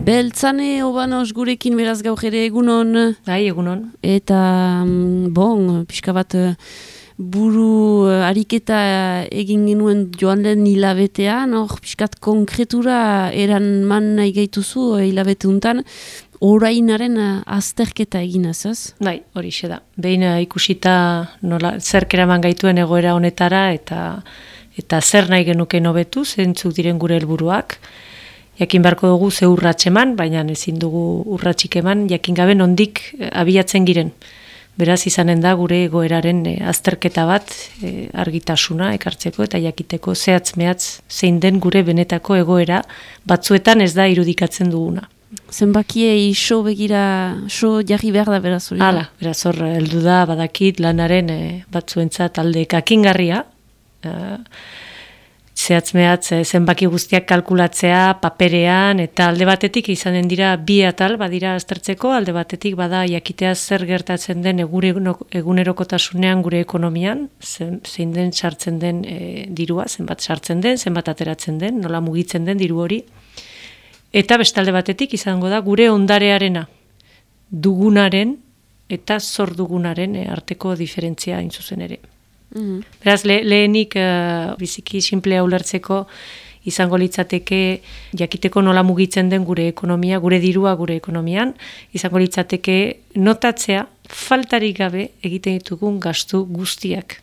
Beltzane Obanos gurekin beraz gaur ere egunon. Bai, egunon. Eta, pixka bat buru ariketa egin genuen joan den hilabetean, hor pixkat konkretura eran man nahi gaituzu hilabete untan, orainaren azterketa eginaz, ez? Bai, hori da. Behin ikusita nola zerk eraman gaituen egoera honetara eta zer nahi genuke hobetu, zeintzuk diren gure helburuak. Jakin beharko dugu ze urrats eman, baina ezin dugu urratsik eman, jakin gabe nondik abiatzen giren. Beraz izanen da gure egoeraren azterketa bat argitasuna ekartzeko eta jakiteko zehatz-mehatz zein den gure benetako egoera batzuetan ez da irudikatzen duguna. Zenbakiei so jarri behar da beraz hori. Hala, beraz hor heldu da badakit lanaren batzuentzat alde kakingarria, zehatz-mehatz zenbaki guztiak kalkulatzea paperean eta alde batetik izanen dira bi atal badira aztertzeko, alde batetik bada jakitea zer gertatzen den egunerokotasunean gure ekonomian, zein den sartzen den dirua, zenbat sartzen den, zenbat ateratzen den, nola mugitzen den diru hori. Eta bestalde batetik izango da gure ondarearena, dugunaren eta zor dugunaren arteko diferentzia hain zuzen ere. Beraz, lehenik biziki simplea ulertzeko izango litzateke jakiteko nola mugitzen den gure ekonomia, gure dirua gure ekonomian, izango litzateke notatzea faltarik gabe egiten ditugun gastu guztiak.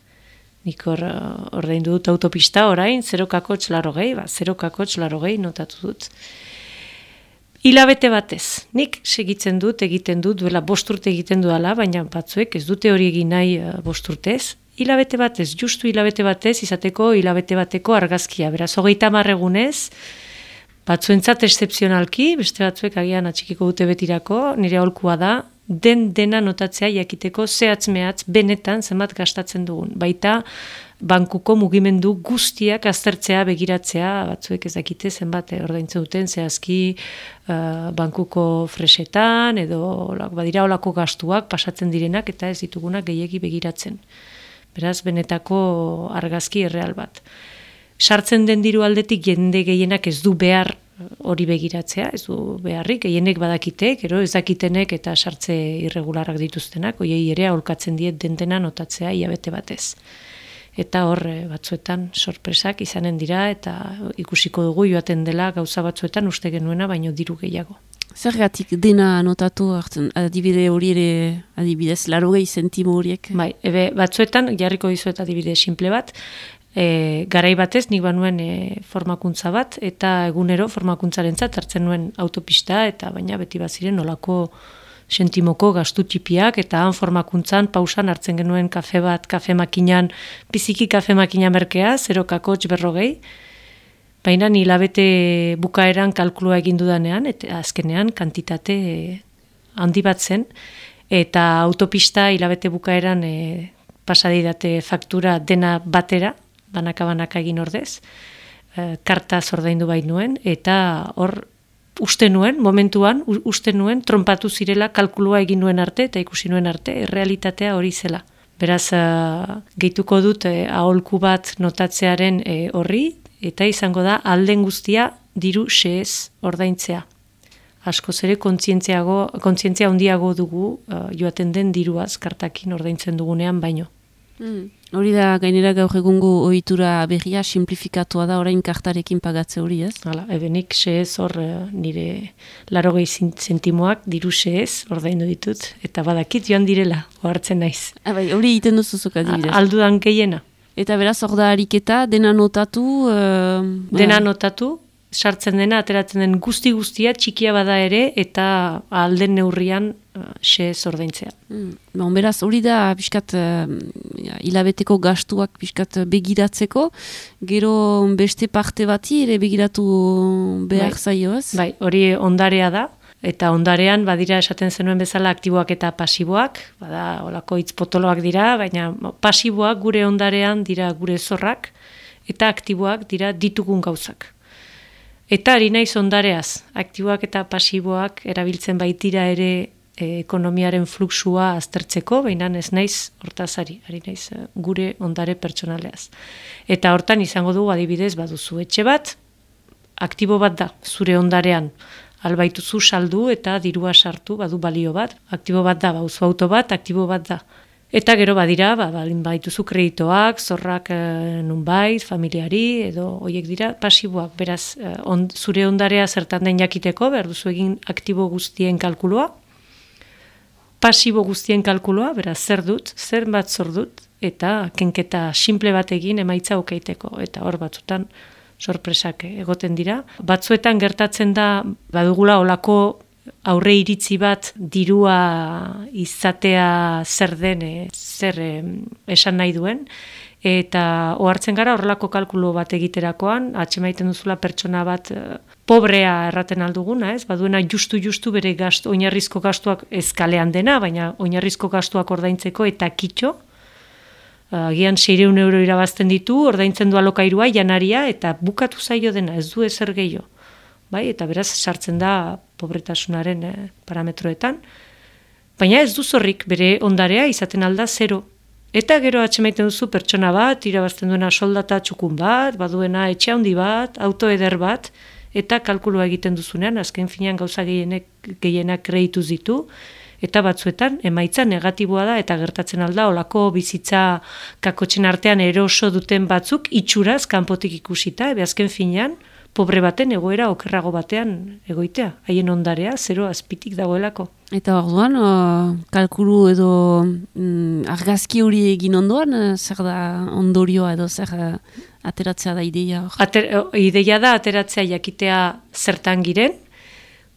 Nik ordaindu dut autopista orain, 0,80 notatu dut. Hilabete batez, nik segitzen dut, egiten dut, duela 5 urte egiten duela, baina batzuek ez dute hori egin nahi 5 urtez. Hilabete batez, justu hilabete batez, izateko hilabete bateko argazkia. Beraz, 30 egunez, batzuentzat excepzionalki, beste batzuek agian atxikiko dute betirako, nire aholkua da, dena notatzea jakiteko zehatz-mehatz benetan zenbat gastatzen dugun. Baita, bankuko mugimendu guztiak aztertzea, begiratzea, batzuek ez dakite zenbat ordaintzen duten, zehazki bankuko fresetan, edo badira olako gastuak pasatzen direnak, eta ez ditugunak gehiegi begiratzen. Beraz, benetako argazki erreal bat. Sartzen den diru aldetik jende gehienak ez du behar hori begiratzea, ez du beharrik, gehienek badakite, gero ez dakitenek eta sartze irregularak dituztenak, hoiei ere aholkatzen diet dena notatzea hilabete batez. Eta hor batzuetan sorpresak izanen dira eta ikusiko dugu joaten dela gauza batzuetan uste genuena baino diru gehiago. Zergatik dena notatu hartzen, adibide hori ere, adibidez, 80 zentimo horiek? Bai, batzuetan jarriko dizuet adibide simple bat, garai batez nik banuen formakuntza bat, eta egunero formakuntzarentzat hartzen nuen autopista, eta baina beti baziren nolako sentimoko gastu txipiak, eta han formakuntzan pausan hartzen genuen kafe bat, kafe makinan, biziki kafe makina merkea, 0,40, baina hilabete bukaeran kalkulua egin dudanean, eta azkenean kantitate handi bat zen, eta autopista hilabete bukaeran pasadidate faktura dena batera, banaka egin ordez, karta ordaindu bai nuen, eta hor uste nuen, momentuan, tronpatu zirela kalkulua egin nuen arte, eta ikusi nuen arte, realitatea hori zela. Beraz, gehituko dut aholku bat notatzearen horri, eta izango da alden guztia diru xehez ordaintzea. Askoz ere kontzientzia handiago dugu joaten den diruaz kartakin ordaintzen dugunean baino. Hori da gainera gaur egungo ohitura berria simplifikatua da orain kartarekin pagatze hori, ez? Hala, ebenik xehez hor nire 80 zentimoak diru xehez ordaindu ditut, eta badakit joan direla, ohartzen naiz. Bai, hori egiten duzuzuk adibidez. Aldudan gehiena. Eta beraz hor da ariketa, dena notatu? Dena notatu, sartzen dena, ateratzen den guztia, txikia bada ere, eta alden neurrian xehez ordaintzea. Beraz, hori da pixkat hilabeteko gastuak pixkat begiratzeko, gero beste parte bati ere begiratu behar zaio, ez? Bai, hori ondarea da, eta ondarean badira esaten zenuen bezala aktiboak eta pasiboak, bada olako hitz potoloak dira, baina pasiboak gure ondarean dira gure zorrak, eta aktiboak dira ditugun gauzak. Eta ari naiz ondareaz, aktiboak eta pasiboak erabiltzen baitira ere ekonomiaren fluxua aztertzeko, baina ez naiz hortaz ari naiz gure ondare pertsonaleaz. Eta hortan izango dugu adibidez baduzu etxe bat, aktibo bat da, zure ondarean albaituzu saldu eta dirua sartu, badu balio bat, aktibo bat da, auzo auto bat, aktibo bat da. Eta gero badira, balin baituzu kreditoak, zorrak nunbait, familiari, edo hoiek dira pasiboak. Beraz, zure ondarea zertan den jakiteko, behar duzu egin aktibo guztien kalkulua, pasibo guztien kalkulua, beraz, zer dut, zer bat zor dut, eta kenketa simple bat egin emaitza okeiteko. Eta hor batzutan sorpresak egoten dira. Batzuetan gertatzen da, badugula olako aurre iritzi bat dirua izatea zer den, zer esan nahi duen, eta ohartzen gara horrelako kalkulu bat egiterakoan, atxemaiten duzula pertsona bat pobrea erraten alduguna, ez? Baduena justu bere oinarrizko gastuak ezkalean dena, baina oinarrizko gastuak ordaintzeko eta kitxo, agian 600 euro irabazten ditu, ordaintzen du alokairua, janaria, eta bukatu zaio dena, ez du ezer gehiago. Bai, eta beraz sartzen da pobretasunaren parametroetan, baina ez du zorrik bere ondarea izaten alda 0. Eta gero atxemaiten duzu pertsona bat, irabazten duena soldata txukun bat, baduena etxe handi bat, auto eder bat, eta kalkulua egiten duzunean, azken finean gauza gehienak kreituz ditu, eta batzuetan emaitza negatiboa da, eta gertatzen alda, olako bizitza kakotxen artean eroso duten batzuk, itxuraz kanpotik ikusita, azken finean, pobre baten egoera okerrago batean egoitea. Haien ondarea, 0 azpitik dagoelako. Eta orduan, kalkulu edo argazki hori egin ondoan, zer da ondorioa edo zer ateratzea da ideia? Ideia da ateratzea jakitea zertan giren,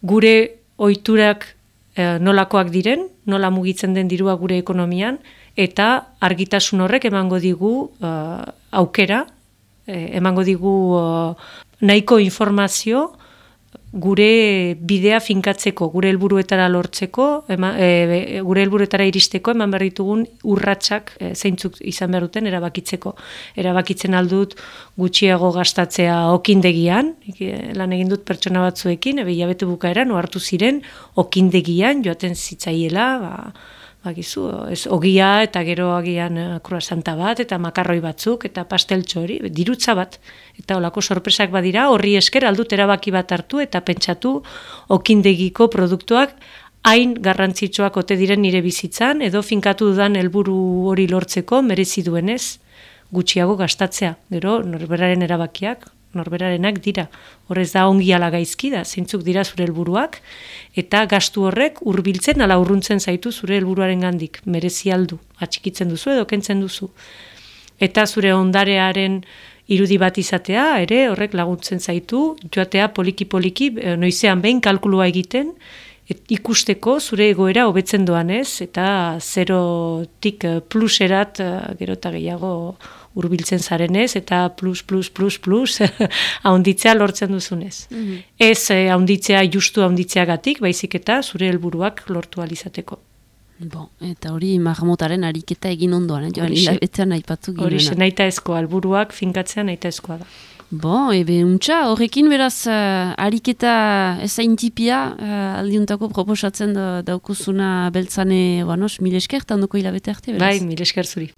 gure ohiturak nolakoak diren, nola mugitzen den dirua gure ekonomian, eta argitasun horrek emango digu aukera, emango digu nahiko informazio gure bidea finkatzeko, gure helburuetara lortzeko, gure helburuetara iristeko eman behar ditugun urratsak zeintzuk izan behar duten erabakitzeko. Erabakitzen aldut gutxiago gastatzea okindegian, lan egin dut pertsona batzuekin, hilabete bukaeran ohartu ziren okindegian joaten zitzaiela, bakizu, ez ogia eta gero agian kruasanta bat eta makarroi batzuk eta pasteltxo hori, dirutza bat. Eta olako sorpresak badira, horri esker aldut erabaki bat hartu eta pentsatu okindegiko produktuak hain garrantzitsuak ote diren nire bizitzan edo finkatu dudan helburu hori lortzeko merezi duenez gutxiago gastatzea. Gero norberaren erabakiak norberarenak dira. Horrez da ongi ala gaizki da, zeintzuk dira zure helburuak, eta gastu horrek hurbiltzen ala urruntzen zaitu zure helburuaren gandik. Merezi aldu, atxikitzen duzu edo kentzen duzu. Eta zure ondarearen irudi bat izatea, ere horrek laguntzen zaitu, joatea poliki-poliki, noizean behin kalkulua egiten, ikusteko zure egoera hobetzen doanez, eta 0tik pluserat gero eta gehiago hurbiltzen zarenez, eta plus, haunditzea lortzen duzunez. Ez haunditzea justu haunditzeagatik, baizik eta zure helburuak lortu alizateko. Eta hori marmotaren ariketa egin ondoan, joan hilabetean aipatu ginen. Hori nahita ezkoa, helburuak finkatzea nahita ezkoa da. Untxa, horrekin beraz ariketa ezaintipia aldiuntako proposatzen daukuzuna beltzane, mil esker, eta ondoko hilabete arte, beraz. Bai, mil esker zuri.